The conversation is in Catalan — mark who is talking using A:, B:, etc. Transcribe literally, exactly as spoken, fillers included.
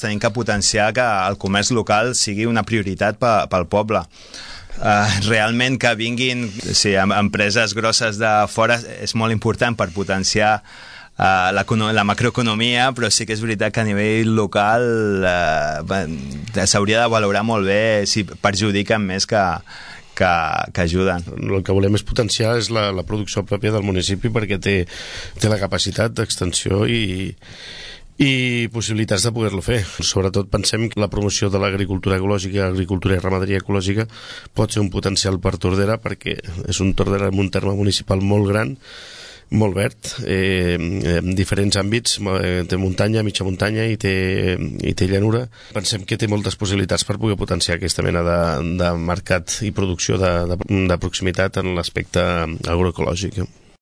A: tenim que potenciar que el comerç local sigui una prioritat pel poble. Uh, realment que vinguin sí, empreses grosses de fora és molt important per potenciar uh, la, la macroeconomia, però sí que és veritat que a nivell local uh, s'hauria de valorar molt bé si perjudiquen més que, que, que ajuden.
B: El que volem és potenciar és la, la producció pròpia del municipi, perquè té, té la capacitat d'extensió i i possibilitats de poder-lo fer. Sobretot pensem que la promoció de l'agricultura ecològica, agricultura i ramaderia ecològica pot ser un potencial per Tordera, perquè és un Tordera amb un terme municipal molt gran, molt verd, eh, en diferents àmbits, eh, té muntanya, mitja muntanya i té, i té llanura. Pensem que té moltes possibilitats per poder potenciar aquesta mena de, de mercat i producció de, de, de proximitat en l'aspecte agroecològic.